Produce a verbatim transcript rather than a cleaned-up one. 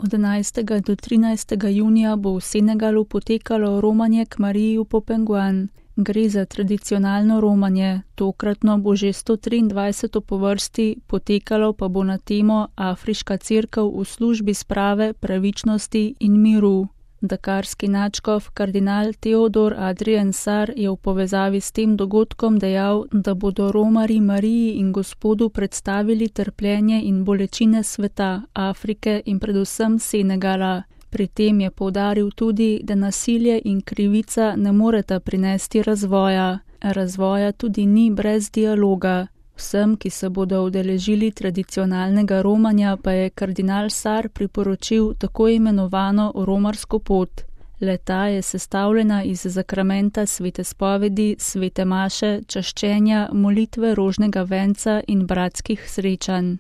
Od enajstega do trinajstega junija bo v Senegalu potekalo romanje k Mariji v Popenguan. Gre za tradicionalno romanje, tokratno bo že sto triindvajseto po vrsti, potekalo pa bo na temo Afriška cerkev v službi sprave, pravičnosti in miru. Dakarski nadškof kardinal Teodor Adrien Sarr je v povezavi s tem dogodkom dejal, da bodo romarji Mariji in Gospodu predstavili trpljenje in bolečine sveta, Afrike in predvsem Senegala. Pri tem je poudaril tudi, da nasilje in krivica ne moreta prinesti razvoja. Razvoja tudi ni brez dialoga. Vsem, ki se bodo udeležili tradicionalnega romanja, pa je kardinal Sarr priporočil tako imenovano romarsko pot. Le-ta je sestavljena iz zakramenta svete spovedi, svete maše, čaščenja, molitve rožnega venca in bratskih srečanj.